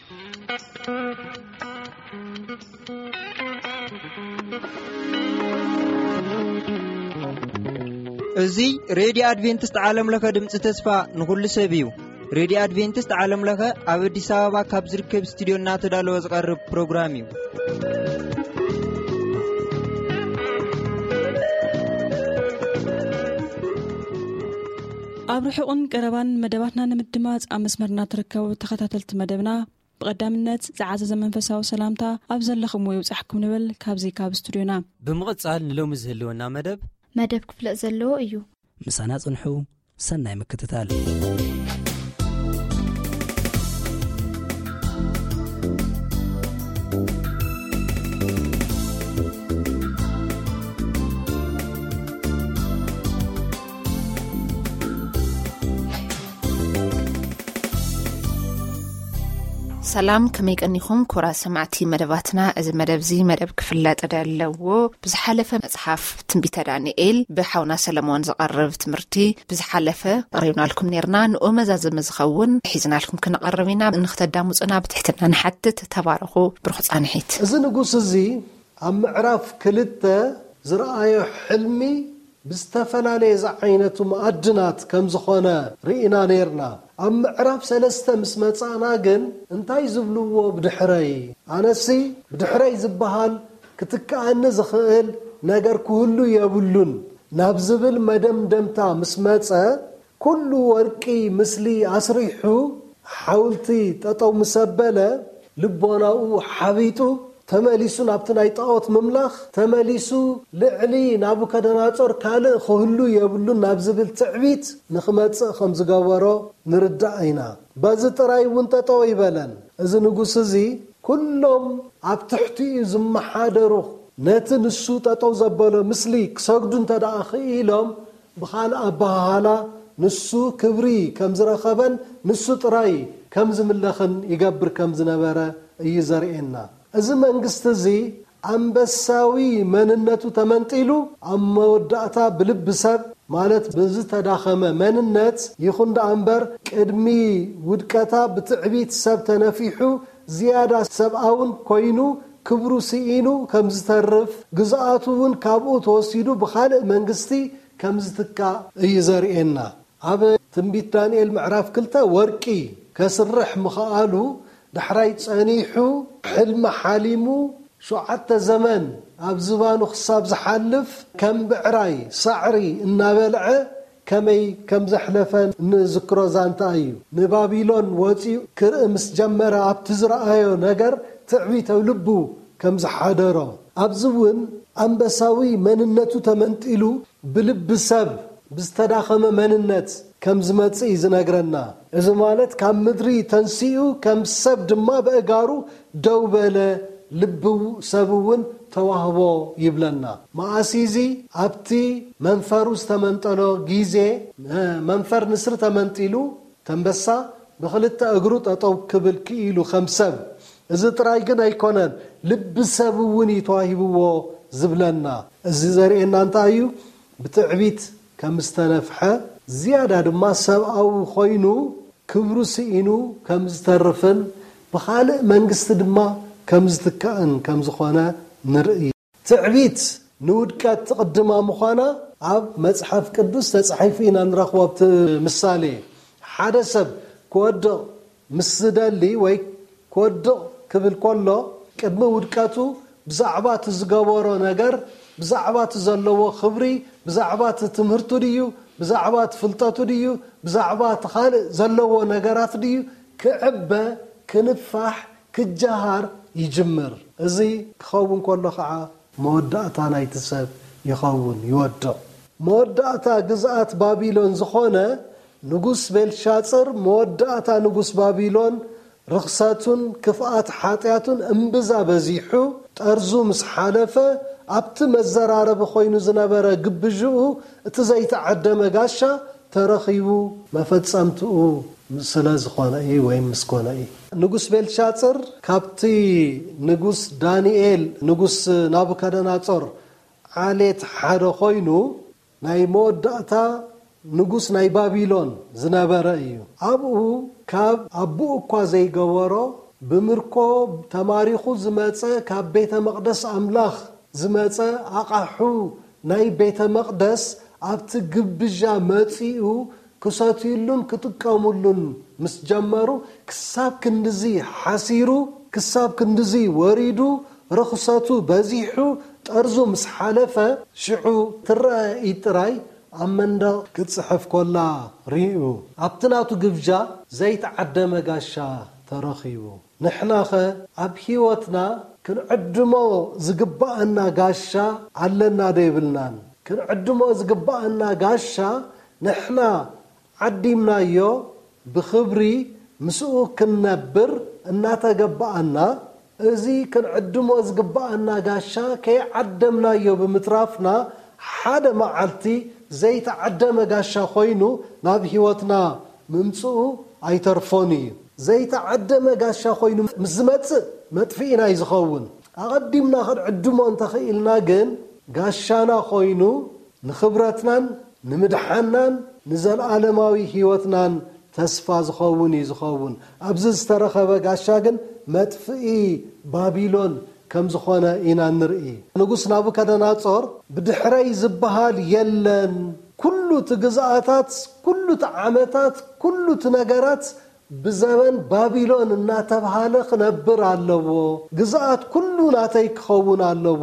እዚ ሬድዮ ኣድቬንቲስት ዓለም ለኸ ድምፂ ተስፋ ንኹሉ ሰብ እዩ። ሬድዮ ኣድቬንቲስት ዓለም ለኸ ኣብ ኣዲስ ኣበባ ካብ ዝርከብ ስቱዲዮ እናተዳለወ ዝቐርብ ፕሮግራም እዩ። ኣብ ርሑቕን ቀረባን መደባትና ንምድማፅ ኣብ መስመርና ትርከቡ ተኸታተልቲ መደብና፣ ብቐዳምነት ዝዓዘዘ መንፈሳዊ ሰላምታ ኣብ ዘለኹምዎ ይብጻሕኩም ንብል ካብዚ ካብ ስቱዲዮና። ብምቕጻል ንሎሚ ዝህልወና መደብ መደብ ክፍለጥ ዘለዎ እዩ። ምሳና ጽንሑ። ሰናይ ምክትታል። ሰላም፣ ከመይ ቀኒኹም ክቡራት ሰማዕቲ መደባትና? እዚ መደብ እዚ መደብ ክፍለጥ ዘለዎ ብዝሓለፈ መጽሓፍ ትንቢተ ዳንኤል ብሓውና ሰለሞን ዝቐርብ ትምህርቲ ብዝሓለፈ ኣቕሪብናልኩም ኔርና። ንኡ መዛዘሚ ዝኸውን ሒዝናልኩም ክንቐርብ ኢና። ንኽተዳምጹና ብትሕትና ንሓትት። ተባረኹ። ብሩኽ ጻንሒት። እዚ ንጉስ እዚ ኣብ ምዕራፍ ክልተ ዝረኣዮ ሕልሚ ብዝተፈላለየ ዝዓይነቱ መኣድናት ከም ዝኾነ ርኢና ኔርና። ኣብ ምዕራፍ ሰለስተ ምስ መጻእና ግን እንታይ ዝብልዎ ብድሕረይ? ኣነሲ ብድሕረይ ዝበሃል ክትከኣኒ ዝኽእል ነገር ክህሉ የብሉን ናብ ዝብል መደምደምታ ምስ መጸ፣ ኩሉ ወርቂ ምስሊ ኣስሪሑ ሓውልቲ ጠጠው ምስ ኣበለ፣ ልቦናኡ ሓቢጡ፣ ተመሊሱ ናብቲ ናይ ጣዖት ምምላኽ፣ ተመሊሱ ልዕሊ ናቡከደናጾር ካልእ ክህሉ የብሉን ናብ ዝብል ትዕቢት ንኽመጽእ ከም ዝገበሮ ንርዳእ ኢና። በዚ ጥራይ እውን ጠጠው ኣይበለን። እዚ ንጉስ እዚ፣ ኩሎም ኣብ ትሕቲኡ ዝመሓደሩ፣ ነቲ ንሱ ጠጠው ዘበሎ ምስሊ ክሰግዱ እንተ ደኣ ክኢሎም፣ ብኻልእ ኣበሃህላ፣ ንሱ ክብሪ ከም ዝረኸበን ንሱ ጥራይ ከም ዝምለኽን ይገብር ከም ዝነበረ እዩ ዘርእየና። እዚ መንግስቲ እዚ ኣንበሳዊ መንነቱ ተመንጢሉ፣ ኣብ መወዳእታ ብልቢ ሰብ፣ ማለት ብዝተዳኸመ መንነት ይኹን ደኣ እምበር፣ ቅድሚ ውድቀታ ብትዕቢት ሰብ ተነፊሑ፣ ዝያዳ ሰብኣውን ኮይኑ፣ ክብሩ ስኢኑ ከም ዝተርፍ፣ ግዝኣቱ እውን ካብኡ ተወሲዱ ብኻልእ መንግስቲ ከም ዝትካእ እዩ ዘርእየና። ኣብ ትንቢት ዳንኤል ምዕራፍ ክልተ ወርቂ ከስርሕ ምኽኣሉ፣ ዳሕራይ ጸኒሑ፣ ሕልሚ ሓሊሙ፣ ሸውዓተ ዘመን ኣብ ዝባኑ ክሳብ ዝሓልፍ፣ ከም ብዕራይ ሳዕሪ እናበልዐ ከመይ ከም ዘሕለፈ ንዝክሮ ዛንታ እዩ። ንባቢሎን ወጺኡ ክርኢ ምስ ጀመረ፣ ኣብቲ ዝረኣዮ ነገር ትዕቢት ኣብ ልቡ ከም ዝሓደሮ፣ ኣብዚ እውን ኣንበሳዊ መንነቱ ተመንጢሉ፣ ብልቢ ሰብ ብዝተዳኸመ መንነት ከም ዝመጽእ እዩ ዝነግረና። እዚ ማለት ካብ ምድሪ ተንሲኡ ከም ሰብ ድማ በእጋሩ ደው በለ፣ ልቢ ሰብ እውን ተዋህቦ ይብለና። መኣስ እዚ ኣብቲ መንፈሩ ዝተመንጠሎ ግዜ፣ መንፈር ንስሪ ተመንጢሉ፣ ተንበሳ ብኽልተ እግሩ ጠጠው ክብል ክኢሉ ከም ሰብ። እዚ ጥራይ ግን ኣይኮነን፣ ልቢ ሰብ እውን እዩ ተዋሂብዎ ዝብለና። እዚ ዘርእየና እንታይ እዩ? ብትዕቢት ከም ዝተነፍሐ፣ ዝያዳ ድማ ሰብኣዊ ኮይኑ ክብሩ ስኢኑ ከም ዝተርፍን ብኻልእ መንግስቲ ድማ ከም ዝትካእን ከም ዝኾነ ንርኢ። ትዕቢት ንውድቀት ትቕድማ ምዃና ኣብ መጽሓፍ ቅዱስ ተጻሒፉ ኢና ንረኽቦ። ኣብቲ ምሳሌ፣ ሓደ ሰብ ክወድቕ ምስ ዝደሊ ወይ ክወድቕ ክብል ከሎ፣ ቅድሚ ውድቀቱ ብዛዕባ እቲ ዝገበሮ ነገር፣ ብዛዕባ እቲ ዘለዎ ክብሪ፣ ብዛዕባ እቲ ትምህርቱ ድዩ፣ ብዛዕባ እቲ ፍልጠቱ ድዩ፣ ብዛዕባ እቲ ካልእ ዘለዎ ነገራት ድዩ ክዕበ፣ ክንፋሕ፣ ክጀሃር ይጅምር። እዚ ክኸውን ከሎ ኸዓ መወዳእታ ናይቲ ሰብ ይኸውን፣ ይወድቕ። መወዳእታ ግዝኣት ባቢሎን ዝኾነ ንጉስ ቤልሻጽር፣ መወዳእታ ንጉስ ባቢሎን ርኽሰቱን ክፍኣት ሓጢኣቱን እምብዛ በዚሑ፣ ጠርዙ ምስ ሓለፈ፣ ኣብቲ መዘራረቢ ኮይኑ ዝነበረ ግብዥኡ፣ እቲ ዘይተዓደመ ጋሻ ተረኺቡ፣ መፈጸምትኡ ስለ ዝኾነ እዩ፣ ወይም ምስ ኮነ እዩ። ንጉስ ቤልሻጽር ካብቲ ንጉስ ዳንኤል፣ ንጉስ ናቡከደናጾር ዓሌት ሓደ ኮይኑ፣ ናይ መወዳእታ ንጉስ ናይ ባቢሎን ዝነበረ እዩ። ኣብኡ ካብ ኣቦኡ እኳ ዘይገበሮ ብምርኮ ተማሪኹ ዝመጸ፣ ካብ ቤተ መቕደስ ኣምላኽ ዝመጸ ኣቓሑ ናይ ቤተ መቕደስ ኣብቲ ግብዣ መጺኡ ክሰትዩሉን ክጥቀሙሉን ምስ ጀመሩ፣ ክሳብ ክንድዚ ሓሲሩ፣ ክሳብ ክንድዚ ወሪዱ፣ ርኽሰቱ በዚሑ፣ ጠርዙ ምስ ሓለፈ፣ ሽዑ ትረአ ኢድ ጥራይ ኣብ መንደቕ ክትጽሕፍ ኮላ ርእዩ። ኣብቲ ናቱ ግብጃ ዘይተዓደመ ጋሻ ተረኺቡ። ንሕናኸ ኣብ ህይወትና ክንዕድሞ ዝግብኣና ጋሻ ኣለና ዶ የብልናን? ክንዕድሞ ዝግብኣና ጋሻ ንሕና ዓዲምናዮ ብኽብሪ ምስኡ ክንነብር እናተገበኣና፣ እዚ ክንዕድሞ ዝግብኣና ጋሻ ከይዓደምናዮ ብምትራፍና፣ ሓደ መዓልቲ ዘይተዓደመ ጋሻ ኮይኑ ናብ ህይወትና ምምጽኡ ኣይተርፎን እዩ። ዘይተዓደመ ጋሻ ኮይኑ ምስ ዝመጽእ መጥፍኢና እዩ ዝኸውን። ኣቐዲምና ክንዕድሞ እንተኽኢልና ግን፣ ጋሻና ኮይኑ ንኽብረትናን ንምድሓናን ንዘለኣለማዊ ህይወትናን ተስፋ ዝኸውን እዩ ዝኸውን። ኣብዚ ዝተረኸበ ጋሻ ግን መጥፍኢ ባቢሎን ከም ዝኾነ ኢና ንርኢ። ንጉስ ናቡከደናጾር፣ ብድሕረይ ዝበሃል የለን፣ ኩሉ እቲ ግዝኣታት፣ ኩሉ እቲ ዓመታት፣ ኩሉ እቲ ነገራት ብዘበን ባቢሎን እናተብሃለ ክነብር ኣለዎ። ግዝኣት ኩሉ ናተይ ክኸውን ኣለዎ።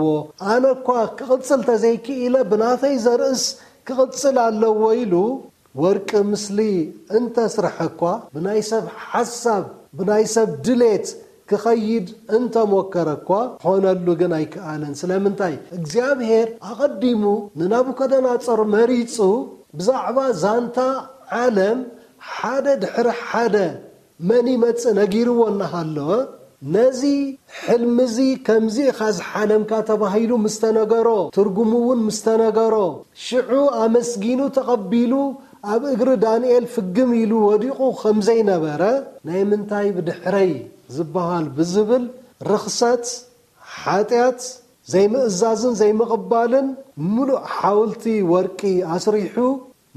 ኣነ እኳ ክቕጽል ተዘይክኢለ፣ ብናተይ ዘርእስ ክቕጽል ኣለዎ ኢሉ፣ ወርቂ ምስሊ እንተስርሐ እኳ፣ ብናይ ሰብ ሓሳብ፣ ብናይ ሰብ ድሌት ክኸይድ እንተሞከረ እኳ፣ ክኾነሉ ግን ኣይከኣለን። ስለምንታይ? እግዚኣብሔር ኣቐዲሙ ንናቡከደናጾር መሪጹ፣ ብዛዕባ ዛንታ ዓለም ሓደ ድሕሪ ሓደ መን ይመጽእ ነጊርዎ እናሃለወ፣ ነዚ ሕልሚ እዚ ከምዚ ኢኻ ዝሓለምካ ተባሂሉ ምስ ተነገሮ፣ ትርጉሙ እውን ምስ ተነገሮ፣ ሽዑ ኣመስጊኑ ተቐቢሉ ኣብ እግሪ ዳንኤል ፍግም ኢሉ ወዲቑ ከም ዘይነበረ፣ ናይ ምንታይ ብድሕረይ ዝበሃል ብዝብል ርኽሰት፣ ሓጢኣት፣ ዘይምእዛዝን ዘይምቕባልን ምሉእ ሓውልቲ ወርቂ ኣስሪሑ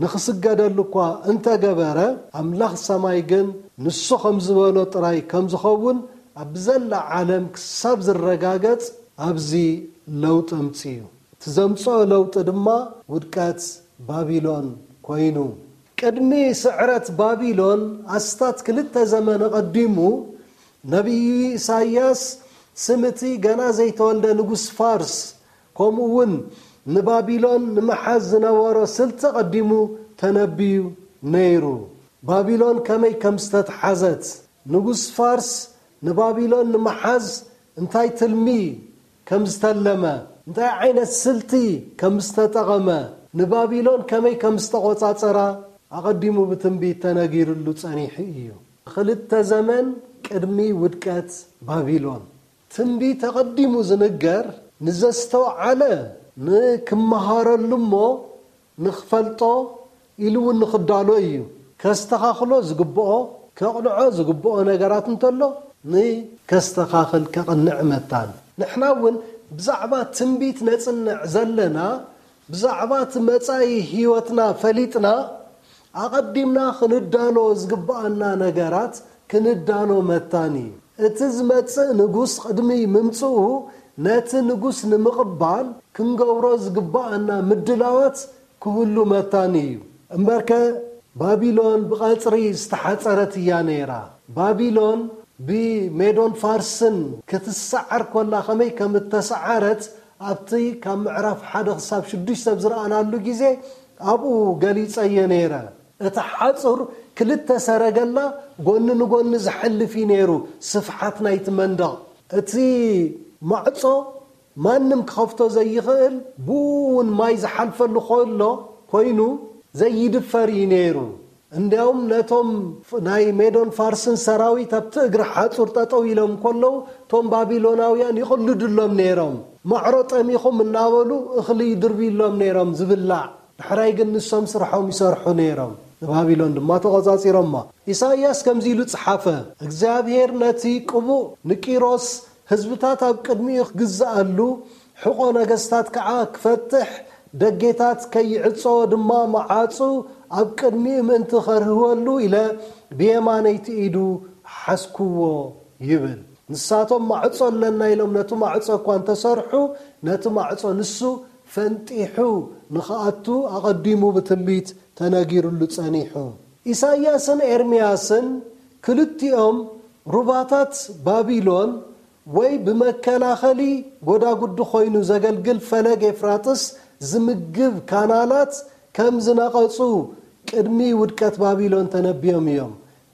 ንኽስገደሉ እኳ እንተገበረ፣ ኣምላኽ ሰማይ ግን ንሱ ከም ዝበሎ ጥራይ ከም ዝኸውን ኣብ ዘላ ዓለም ክሳብ ዝረጋገጽ ኣብዚ ለውጢ ኣምጺኡ። እቲ ዘምጽኦ ለውጢ ድማ ውድቀት ባቢሎን ኮይኑ። ቅድሚ ስዕረት ባቢሎን ኣስታት ክልተ ዘመን ኣቐዲሙ፣ ነቢዩ ኢሳይያስ ስም እቲ ገና ዘይተወልደ ንጉስ ፋርስ፣ ከምኡ እውን ንባቢሎን ንምሓዝ ዝነበሮ ስልቲ ኣቐዲሙ ተነብዩ ነይሩ። ባቢሎን ከመይ ከም ዝተትሓዘት፣ ንጉስ ፋርስ ንባቢሎን ንምሓዝ እንታይ ትልሚ ከም ዝተለመ፣ እንታይ ዓይነት ስልቲ ከም ዝተጠቐመ፣ ንባቢሎን ከመይ ከም ዝተቖጻጸራ ኣቐዲሙ ብትንቢት ተነጊርሉ ጸኒሑ እዩ። ክልተ ዘመን ቅድሚ ውድቀት ባቢሎን። ትንቢት ኣቐዲሙ ዝንገር ንዘስተውዓለ ንክመሃረሉ እሞ ንኽፈልጦ ኢሉ እውን ንኽዳሎ እዩ። ከስተኻኽሎ ዝግብኦ፣ ከቕንዖ ዝግብኦ ነገራት እንተሎ ንከስተኻኽል ከቕንዕ መታን። ንሕና እውን ብዛዕባ ትንቢት ነጽንዕ ዘለና፣ ብዛዕባ እቲ መጻኢ ህይወትና ፈሊጥና፣ ኣቐዲምና ክንዳሎ ዝግብኣና ነገራት ክንዳሎ መታን እዩ። እቲ ዝመጽእ ንጉስ ቅድሚ ምምጽኡ ነቲ ንጉስ ንምቕባል ክንገብሮ ዝግብኣና ምድላዋት ክህሉ መታን እዩ። እምበርከ ባቢሎን ብቐጽሪ ዝተሓጸረት እያ ነይራ። ባቢሎን ብሜዶን ፋርስን ክትሰዓር ኮላ ከመይ ከም እተሰዓረት ኣብቲ ካብ ምዕራፍ ሓደ ክሳብ ሽዱሽተ ኣብ ዝረኣናሉ ግዜ ኣብኡ ገሊጸዮ ነይረ። እቲ ሓጹር ክልተ ሰረገላ ጎኒ ንጎኒ ዝሓልፍ እዩ ነይሩ፣ ስፍሓት ናይቲ መንደቕ። እቲ ማዕጾ ማንም ክኸፍቶ ዘይኽእል፣ ብኡ እውን ማይ ዝሓልፈሉ ከሎ ኮይኑ ዘይድፈር እዩ ነይሩ። እንዲያውም ነቶም ናይ ሜዶን ፋርስን ሰራዊት ኣብቲ እግሪ ሓጹር ጠጠው ኢሎም ከለዉ፣ እቶም ባቢሎናውያን ይቕልድሎም ነይሮም። ማዕሮ ጠሚኹም እናበሉ እኽሊ ይድርብዩሎም ነይሮም ዝብላዕ። ዳሕራይ ግን ንሶም ስርሖም ይሰርሑ ነይሮም፣ ንባቢሎን ድማ ተቖጻጺሮማ። ኢሳይያስ ከምዚ ኢሉ ጸሓፈ፣ እግዚኣብሔር ነቲ ቅቡእ ንቂሮስ ህዝብታት ኣብ ቅድሚኡ ክግዝኣሉ፣ ሕቖ ነገስታት ከዓ ክፈትሕ፣ ደጌታት ከይዕጾ ድማ መዓጹ ኣብ ቅድሚኡ ምእንቲ ኸርህወሉ ኢለ ብየማነይቲ ኢዱ ሓዝክዎ። ይብል። ንሳቶም ማዕጾ ኣለና ኢሎም ነቲ ማዕጾ እኳ እንተሰርሑ፣ ነቲ ማዕጾ ንሱ ፈንጢሑ ንኽኣቱ ኣቐዲሙ ብትንቢት ተነጊሩሉ ጸኒሑ። ኢሳይያስን ኤርምያስን ክልቲኦም ሩባታት ባቢሎን ወይ ብመከላኸሊ ጎዳጉዲ ኮይኑ ዘገልግል ፈለግ ኤፍራጥስ ዝምግብ ካናላት ከም ዝነቐጹ ቅድሚ ውድቀት ባቢሎን ተነብዮም እዮም።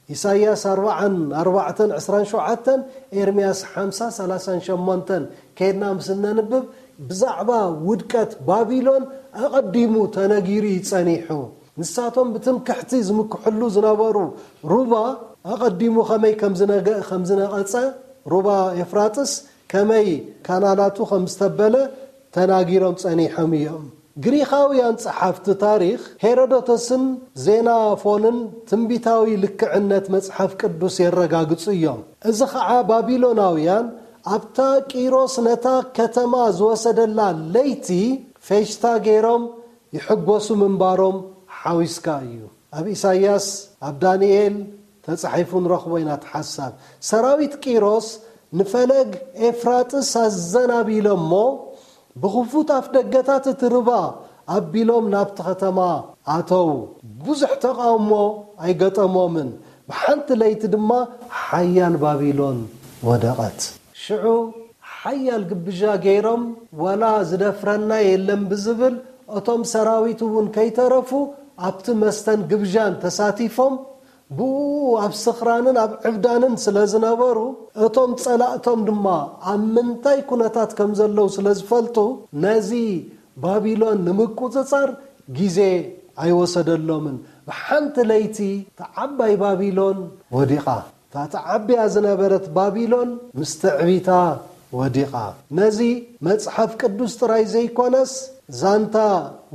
ኢሳይያስ ኣርባዓን ኣርባዕተን ዕስራን ሸውዓተን፣ ኤርምያስ ሓምሳ ሰላሳን ሸሞንተን ከይድና ምስ እነንብብ ብዛዕባ ውድቀት ባቢሎን ኣቐዲሙ ተነጊሩ እዩ ጸኒሑ። ንሳቶም ብትምክሕቲ ዝምክሕሉ ዝነበሩ ሩባ ኣቐዲሙ ከመይ ከም ዝነገ-፣ ከም ዝነቐጸ፣ ሩባ ኤፍራጥስ ከመይ ካናላቱ ከም ዝተበለ ተናጊሮም ጸኒሖም እዮም። ግሪኻውያን ጸሓፍቲ ታሪኽ ሄሮዶተስን ዜናፎንን ትንቢታዊ ልክዕነት መጽሓፍ ቅዱስ የረጋግጹ እዮም። እዚ ኸዓ ባቢሎናውያን ኣብታ ቂሮስ ነታ ከተማ ዝወሰደላ ለይቲ ፌሽታ ገይሮም ይሕጎሱ ምንባሮም ሓዊስካ እዩ። ኣብ ኢሳይያስ፣ ኣብ ዳንኤል ተጻሒፉ ንረኽቦ ኢና እቲ ሓሳብ። ሰራዊት ቂሮስ ንፈለግ ኤፍራጥስ ኣዘናቢሎሞ ብኽፉት ኣፍ ደገታት እቲ ርባ ኣቢሎም ናብቲ ከተማ ኣተው። ብዙሕ ተቓውሞ ኣይገጠሞምን። ብሓንቲ ለይቲ ድማ ሓያል ባቢሎን ወደቐት። ሽዑ ሓያል ግብዣ ገይሮም፣ ዋላ ዝደፍረና የለን ብዝብል፣ እቶም ሰራዊት እውን ከይተረፉ ኣብቲ መስተን ግብዣን ተሳቲፎም፣ ብኡ ኣብ ስኽራንን ኣብ ዕብዳንን ስለ ዝነበሩ፣ እቶም ጸላእቶም ድማ ኣብ ምንታይ ኩነታት ከም ዘለዉ ስለ ዝፈልጡ፣ ነዚ ባቢሎን ንምቁጽጻር ግዜ ኣይወሰደሎምን። ብሓንቲ ለይቲ እታ ዓባይ ባቢሎን ወዲቓ። እታ ተዓብያ ዝነበረት ባቢሎን ምስ ትዕቢታ ወዲቓ። ነዚ መጽሓፍ ቅዱስ ጥራይ ዘይኮነስ፣ ዛንታ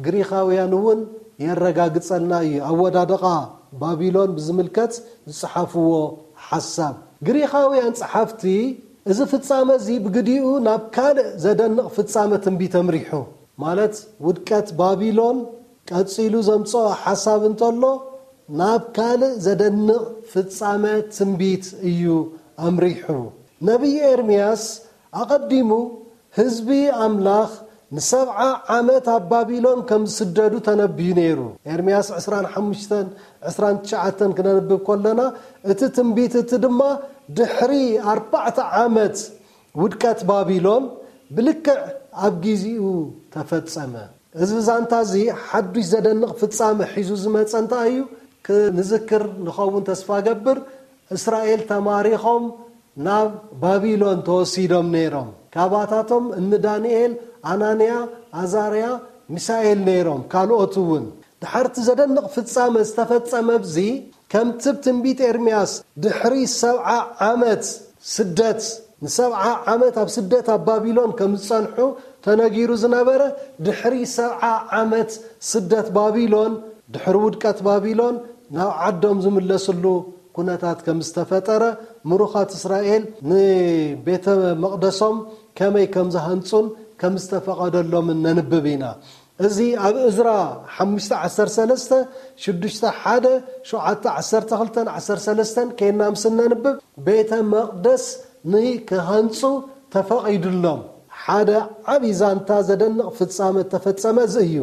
ግሪኻውያን እውን የረጋግጸልና እዩ። ኣወዳድቓ ባቢሎን ብዝምልከት ዝጸሓፍዎ ሓሳብ። ግሪኻውያን ጸሓፍቲ፣ እዚ ፍጻመ እዚ ብግዲኡ ናብ ካልእ ዘደንቕ ፍጻመ ትንቢት ኣምሪሑ። ማለት፣ ውድቀት ባቢሎን ቀጺሉ ዘምጽኦ ሓሳብ እንተሎ፣ ናብ ካልእ ዘደንቕ ፍጻመ ትንቢት እዩ ኣምሪሑ። ነቢይ ኤርምያስ ኣቐዲሙ ህዝቢ ኣምላኽ ንሰብዓ ዓመት ኣብ ባቢሎን ከም ዝስደዱ ተነብዩ ነይሩ። ኤርምያስ ዕስራን ሓሙሽተን ዕስራን ትሽዓተን ክነንብብ ከለና፣ እቲ ትንቢት እቲ ድማ ድሕሪ ኣርባዕተ ዓመት ውድቀት ባቢሎን ብልክዕ ኣብ ጊዜኡ ተፈጸመ። እዚ ዛንታ እዚ ሓዱሽ ዘደንቕ ፍጻመ ሒዙ ዝመጸ እንታይ እዩ? ክንዝክር ንኸውን ተስፋ ገብር። እስራኤል ተማሪኾም ናብ ባቢሎን ተወሲዶም ነይሮም። ካባታቶም እኒ ዳንኤል፣ ኣናንያ፣ ኣዛርያ፣ ሚሳኤል ነይሮም፣ ካልኦት እውን። ድሓርቲ ዘደንቕ ፍጻመ ዝተፈጸመ ኣብዚ፣ ከምቲ ብ ትንቢት ኤርምያስ ድሕሪ ሰብዓ ዓመት ስደት፣ ንሰብዓ ዓመት ኣብ ስደት ኣብ ባቢሎን ከም ዝጸንሑ ተነጊሩ ዝነበረ፣ ድሕሪ ሰብዓ ዓመት ስደት ባቢሎን፣ ድሕሪ ውድቀት ባቢሎን ናብ ዓዶም ዝምለስሉ ኩነታት ከም ዝተፈጠረ፣ ምሩኻት እስራኤል ንቤተ መቕደሶም ከመይ ከም ዝሃንጹን ከም ዝተፈቐደሎምን ነንብብ ኢና። እዚ ኣብ እዝራ ሓሙሽተ ዓሰርተ ሰለስተ፣ ሽዱሽተ ሓደ፣ ሸውዓተ ዓሰርተ ክልተን ዓሰርተ ሰለስተን ከይና ምስ እነንብብ፣ ቤተ መቕደስ ንክሃንጹ ተፈቒዱሎም። ሓደ ዓቢ ዛንታ ዘደንቕ ፍጻመ እተፈጸመ እዚ እዩ።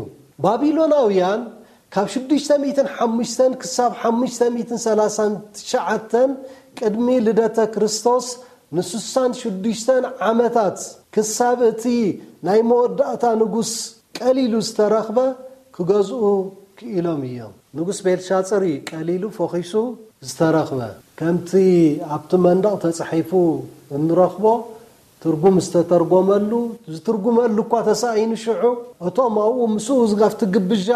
ባቢሎናውያን ካብ ሽዱሽተ ሚእትን ሓሙሽተን ክሳብ ሓሙሽተ ሚእትን ሰላሳን ትሽዓተን ቅድሚ ልደተ ክርስቶስ ንስሳን ሽዱሽተን ዓመታት፣ ክሳብ እቲ ናይ መወዳእታ ንጉስ ቀሊሉ ዝተረኽበ፣ ክገዝኡ ክኢሎም እዮም። ንጉስ ቤልሻጽር እዩ ቀሊሉ ፎኺሱ ዝተረኽበ። ከምቲ ኣብቲ መንደቕ ተጻሒፉ እንረኽቦ፣ ትርጉም ዝተተርጎመሉ፣ ዝትርጉመሉ እኳ ተሳኢኑ ሽዑ፣ እቶም ኣብኡ ምስኡ ዝጋፍቲ ግብዣ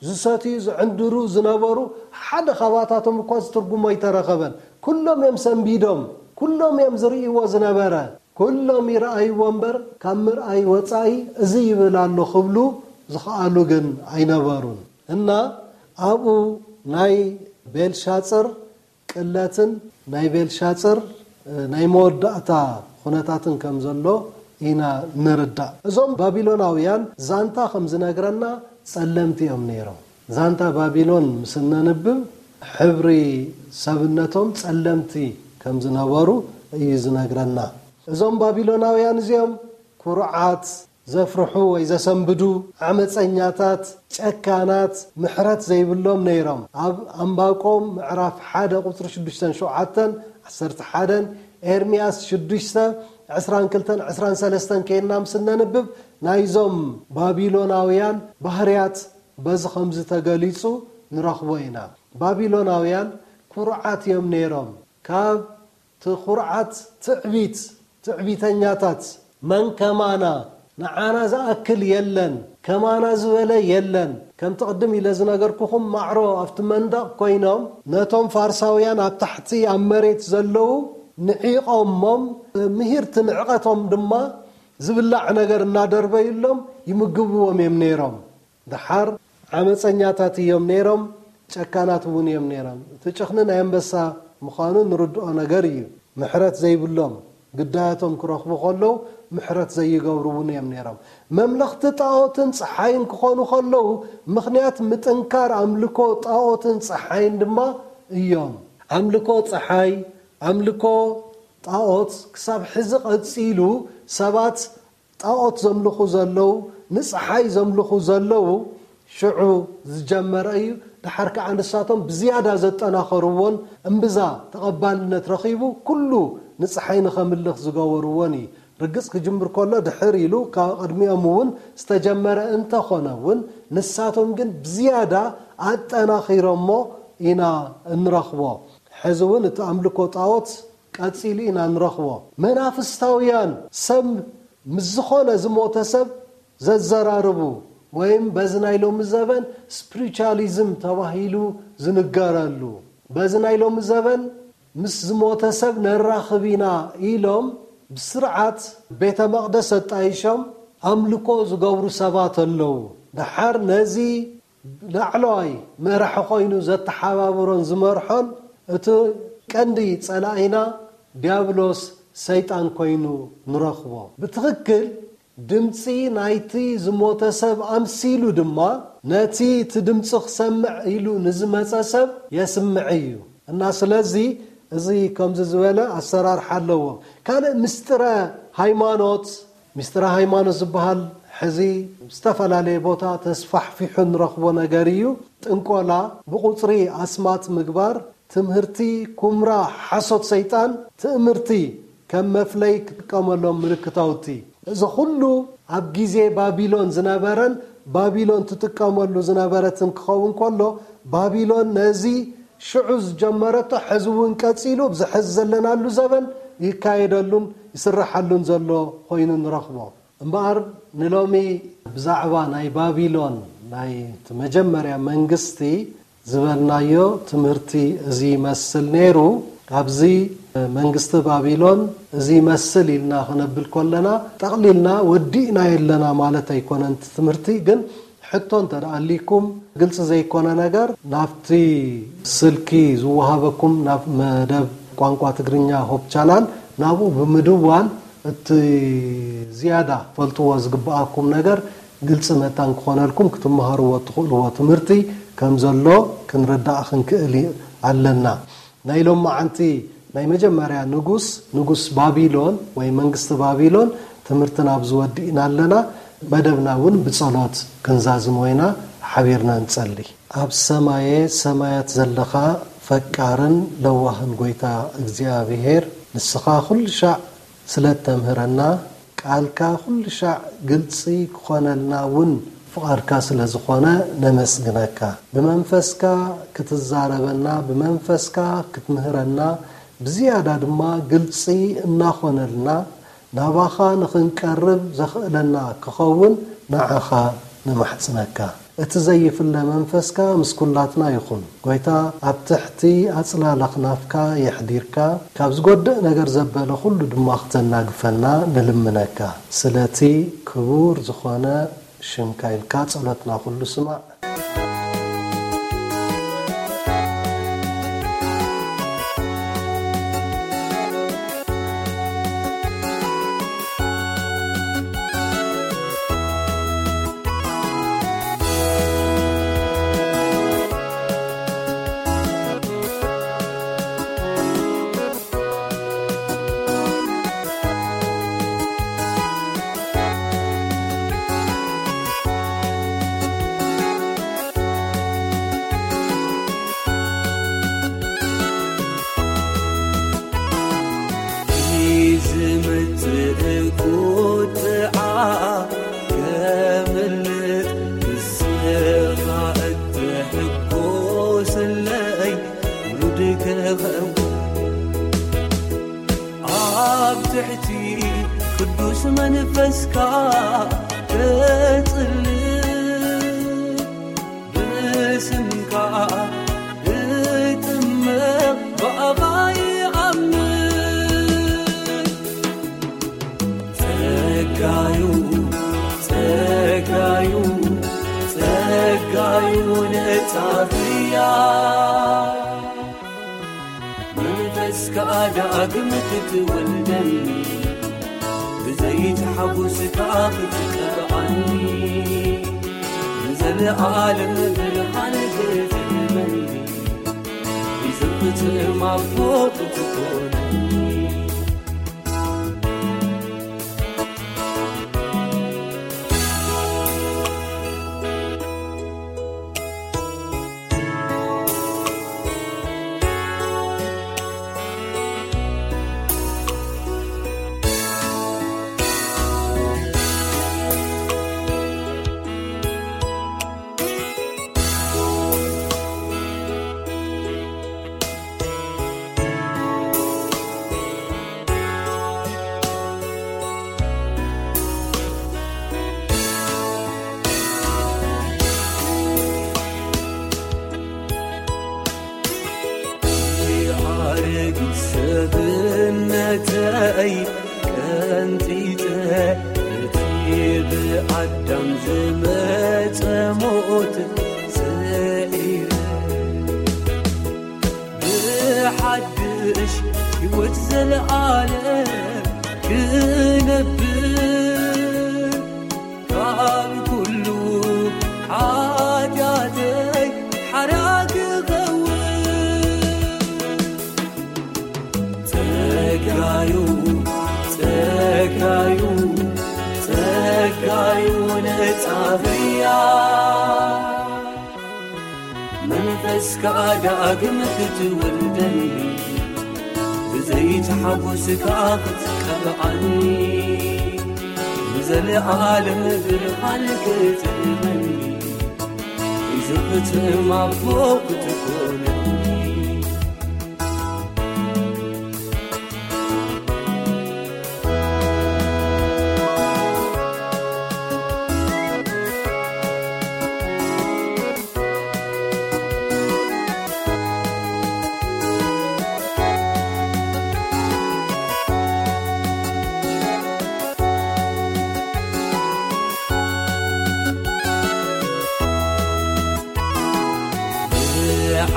ዝሰትዩ፣ ዝዕንድሩ ዝነበሩ፣ ሓደ ካባታቶም እኳ ዝትርጉሞ ኣይተረኸበን። ኩሎም እዮም ሰንቢዶም፣ ኩሎም እዮም ዝርእይዎ ዝነበረ። ኩሎም ይረኣይዎ እምበር፣ ካብ ምርኣይ ወጻኢ እዚ ይብል ኣሎ ክብሉ ዝኸኣሉ ግን ኣይነበሩን። እና ኣብኡ ናይ ቤልሻጽር ቅለትን ናይ ቤልሻጽር፣ እ፣ ናይ መወዳእታ ኩነታትን ከም ዘሎ ኢና ንርዳእ። እዞም ባቢሎናውያን ዛንታ ከም ዝነግረና ጸለምቲ እዮም ነይሮም። ዛንታ ባቢሎን ምስ እነንብብ፣ ሕብሪ ሰብነቶም ጸለምቲ ከም ዝነበሩ እዩ ዝነግረና። እዞም ባቢሎናውያን እዚኦም ኩሩዓት፣ ዘፍርሑ ወይ ዘሰንብዱ፣ ዓመፀኛታት፣ ጨካናት፣ ምሕረት ዘይብሎም ነይሮም። ኣብ ኣንባቆም ምዕራፍ ሓደ ቁፅሪ ሽዱሽተን ሸውዓተን፣ ዓሰርተ ሓደን፣ ኤርምያስ ሽዱሽተ ዕስራን ክልተን ዕስራን ሰለስተን ከይድና ምስ እነንብብ፣ ናይዞም ባቢሎናውያን ባህርያት በዚ ከምዚ ተገሊጹ ንረኽቦ ኢና። ባቢሎናውያን ኩሩዓት እዮም ነይሮም። ካብ እቲ ኩርዓት ትዕቢት፣ ትዕቢተኛታት፣ መን ከማና፣ ንዓና ዝኣክል የለን፣ ከማና ዝበለ የለን። ከምቲ ቅድም ኢለ ዝነገርኩኹም ማዕሮ ኣብቲ መንደቕ ኮይኖም ነቶም ፋርሳውያን ኣብ ታሕቲ ኣብ መሬት ዘለዉ ንዒቖሞም፣ ምሂርቲ ንዕቐቶም ድማ ዝብላዕ ነገር እናደርበዩሎም ይምግብዎም እዮም ነይሮም። ደሓር ዓመፀኛታት እዮም ነይሮም፣ ጨካናት እውን እዮም ነይሮም። እቲ ጭኽኒ ናይ ኣንበሳ ምዃኑ ንርድኦ ነገር እዩ። ምሕረት ዘይብሎም፣ ግዳያቶም ክረኽቡ ከለዉ ምሕረት ዘይገብሩ እውን እዮም ነይሮም። መምለኽቲ ጣኦትን ፀሓይን ክኾኑ ከለዉ ምኽንያት ምጥንካር ኣምልኮ ጣኦትን ፀሓይን ድማ እዮም። ኣምልኮ ፀሓይ፣ ኣምልኮ ጣኦት ክሳብ ሕዚ ቀፂሉ ሰባት ጣኦት ዘምልኹ ዘለዉ፣ ንፀሓይ ዘምልኹ ዘለዉ ሽዑ ዝጀመረ እዩ። ደሓር ከዓ ንሳቶም ብዝያዳ ዘጠናኸርዎን እምብዛ ተቐባልነት ረኺቡ ኩሉ ንፀሓይ ንኸምልኽ ዝገበርዎን እዩ። ርግፅ ክጅምር ከሎ ድሕር ኢሉ ካብ ቅድሚኦም እውን ዝተጀመረ እንተኾነ እውን ንሳቶም ግን ብዝያዳ ኣጠናኺሮሞ ኢና እንረኽቦ። ሕዚ እውን እቲ ኣምልኮ ጣኦት ቀፂሉ ኢና ንረኽቦ። መናፍስታውያን ሰብ ምስ ዝኾነ ዝሞተ ሰብ ዘዘራርቡ ወይም በዚ ናይ ሎሚ ዘበን ስፕሪቹዋሊዝም ተባሂሉ ዝንገረሉ፣ በዚ ናይ ሎሚ ዘበን ምስ ዝሞተ ሰብ ነራኽብ ኢና ኢሎም ብስርዓት ቤተ መቕደስ ኣጣይሾም ኣምልኮ ዝገብሩ ሰባት ኣለዉ። ደሓር ነዚ ላዕለዋይ መራሒ ኮይኑ ዘተሓባብሮን ዝመርሖን እቲ ቀንዲ ጸላኢና ዲያብሎስ ሰይጣን ኮይኑ ንረኽቦ። ብትኽክል ድምፂ ናይቲ ዝሞተ ሰብ ኣምሲሉ ድማ ነቲ እቲ ድምፂ ክሰምዕ ኢሉ ንዝመፀ ሰብ የስምዕ እዩ። እና ስለዚ እዚ ከምዚ ዝበለ ኣሰራርሓ ኣለዎ። ካልእ ምስጢረ ሃይማኖት፣ ምስጢረ ሃይማኖት ዝበሃል ሕዚ ዝተፈላለየ ቦታ ተስፋሕፊሑ ንረኽቦ ነገር እዩ። ጥንቆላ፣ ብቁፅሪ ኣስማት ምግባር፣ ትምህርቲ ኩምራ ሓሶት ሰይጣን፣ ትእምርቲ ከም መፍለይ ክጥቀመሎም ምልክታውቲ። እዚ ኩሉ ኣብ ግዜ ባቢሎን ዝነበረን ባቢሎን ትጥቀመሉ ዝነበረትን ክኸውን ከሎ፣ ባቢሎን ነዚ ሽዑ ዝጀመረቶ ሕዚ እውን ቀፂሉ ኣብዚ ሕዚ ዘለናሉ ዘበን ይካየደሉን ይስረሓሉን ዘሎ ኮይኑ ንረኽቦ። እምበኣር ንሎሚ ብዛዕባ ናይ ባቢሎን ናይ እቲ መጀመርያ መንግስቲ ዝበልናዮ ትምህርቲ እዚ ይመስል ነይሩ። ኣብዚ መንግስቲ ባቢሎን እዚ ይመስል ኢልና ክነብል ከለና ጠቕሊልና ወዲእና የለና ማለት ኣይኮነን። እቲ ትምህርቲ ግን ሕቶ እንተ ደኣ ኣሊኩም ግልፂ ዘይኮነ ነገር ናብቲ ስልኪ ዝወሃበኩም ናብ መደብ ቋንቋ ትግርኛ ሆፕ ቻናል ናብኡ ብምድዋል እቲ ዝያዳ ፈልጥዎ ዝግብኣኩም ነገር ግልፂ መታን ክኾነልኩም ክትመሃርዎ እትኽእልዎ ትምህርቲ ከም ዘሎ ክንርዳእ ክንክእል ኣለና። ናይ ሎማዓንቲ ናይ መጀመርያ ንጉስ፣ ንጉስ ባቢሎን ወይ መንግስቲ ባቢሎን ትምህርትና ኣብዚ ወዲእና ኣለና። መደብና እውን ብጸሎት ክንዛዝሞ ኢና። ሓቢርና ንጸሊ። ኣብ ሰማየ ሰማያት ዘለኻ ፈቃርን ለዋህን ጎይታ እግዚኣብሔር፣ ንስኻ ኩሉ ሻዕ ስለ እተምህረና፣ ቃልካ ኩሉ ሻዕ ግልጺ ክኾነልና እውን ፍቓድካ ስለ ዝኾነ ነመስግነካ። ብመንፈስካ ክትዛረበና፣ ብመንፈስካ ክትምህረና፣ ብዝያዳ ድማ ግልጺ እናኾነልና ናባኻ ንኽንቀርብ ዘኽእለና ክኸውን ንዓኻ ንማሕጽነካ። እቲ ዘይፍለ መንፈስካ ምስ ኩላትና ይኹን። ጎይታ፣ ኣብ ትሕቲ ኣጽላል ኣኽናፍካ የሕዲርካ፣ ካብ ዝጎድእ ነገር ዘበለ ኩሉ ድማ ክተናግፈና ንልምነካ። ስለቲ ክቡር ዝኾነ ሽምካ ኢልካ ጸሎትና ኩሉ ስማዕ። ምጽእ ቁጥዓ ከምልጥ ንስኻ እትሕጎስለይ ውሉድ ክኸውን ኣብ ትሕቲ ቅዱስ መንፈስካ ክጽልእ ብስምካ እጥመቕ ብኣኻ ይኣምን። ጸጋዩ ጸጋዩ ጸጋዩ ነጻ ፍርያ መንፈስካ ዳግም ክትወልደኒ ብዘይቲ ሓጎስካ ክትቀብኣኒ ንዘለኣለም ብርሃን ክትህበኒ ይዝክትም ኣቦ ክትኮነኒ። ኣረጊት ሰብነተይ ቀንጢጠ እቲ ብኣዳም ዝመጸ ሞት ስዒረ ብሓድሽ ሕይወት ዘለኣለም ክነብር ካብ ኩሉ ሓጢኣተይ ሓራ ክኸውን ጸጋዩ ጸጋዩ ጸጋዩ ነጻ ፍርያ መንፈስካ ዳግም ክትወልደኒ ብዘይቲ ሓጎስካ ክትቀብኣኒ ንዘለኣለም ብርሃን ክትህበኒ ይዝክትም ኣቦ ክትኮነኒ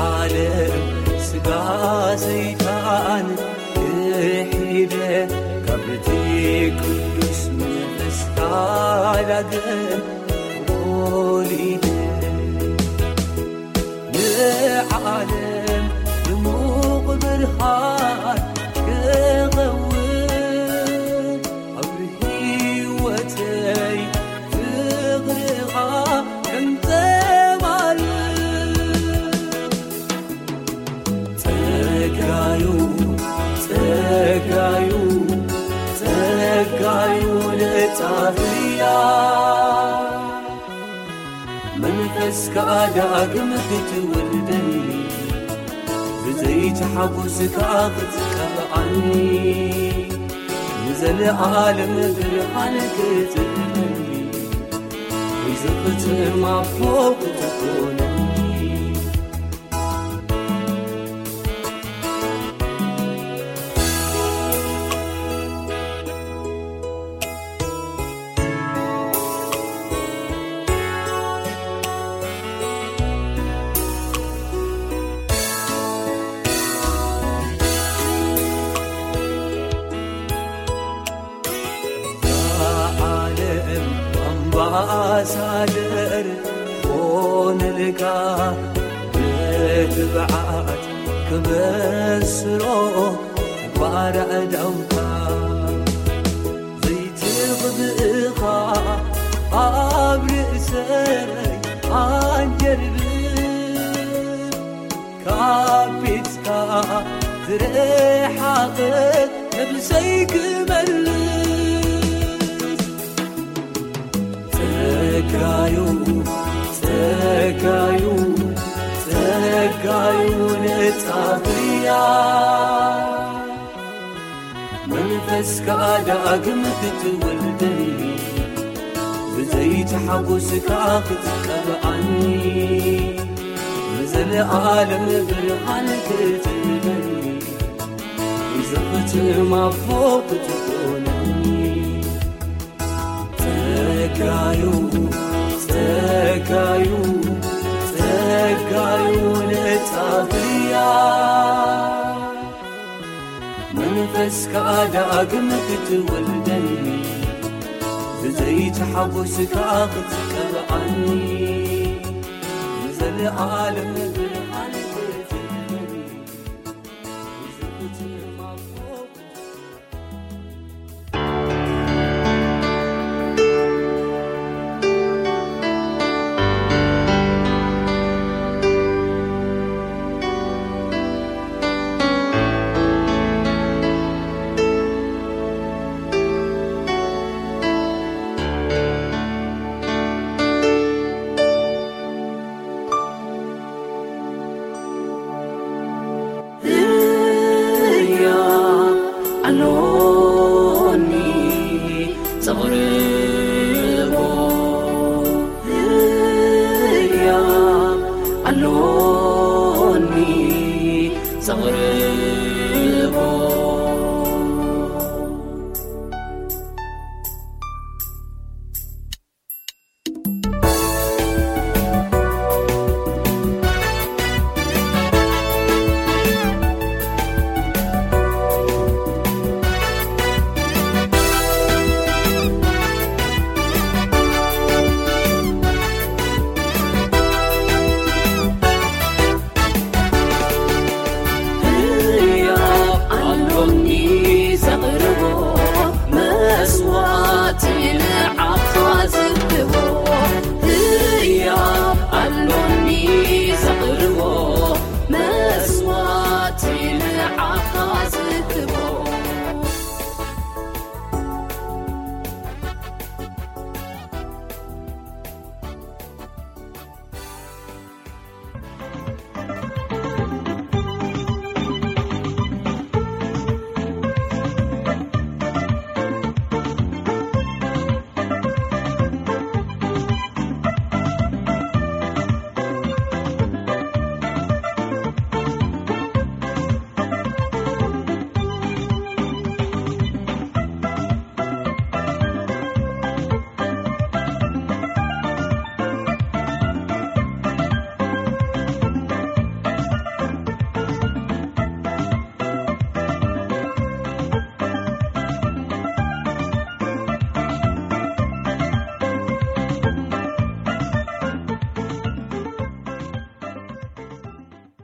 ዓለም ስጋ ሰይጣን ክሒደ ካብቲ ቅዱስ መንፈስካ ዳግም ወሊደ ንዓለም ድሙቕ ብርሃን ክኸውን ኣብ ህይወተይ ፍቕርኻ ከንጸባርቕ ጸጋዩ ጸጋዩ ጸጋዩ ነጻ ፍርያ መንፈስካ ዳግም ክትወልደኒ ብዘይቲ ሓጎስካ ክትቀብኣኒ ንዘለኣለም ብርሃን ክትህበኒ ይዝክትም ኣቦ ክትኮነኒ ዓለም ኣምባሳደር ኾነልካ ብትብዓት ክበስሮ ባርዕዳውካ ዘይትኽብእኻ ኣብ ርእሰይ ኣንጀርብብ ካብ ቤትካ ዝረሓቐት ነብሰይ ክመልስ። ጸጋዩ፣ ጸጋዩ፣ ጸጋዩ ነጻ ፍርያ። መንፈስካ ዳግም ክትወልደኒ፣ ብዘይቲ ሓጎስካ ክትቀብኣኒ፣ ንዘለኣለም ብርሃን ክትህበኒ፣ ብዘኽትም ኣቦ ክትኮነኒ። ጸጋዩ፣ ጸጋዩ፣ ጸጋዩ ነጻ ፍርያ። መንፈስካ ዳግም ክትወልደኒ፣ ብዘይቲ ሓጎስካ ክትቀብኣኒ፣ ንዘለኣለም ብርሃን ክትህበኒ፣ ብዘኽትም ኣቦ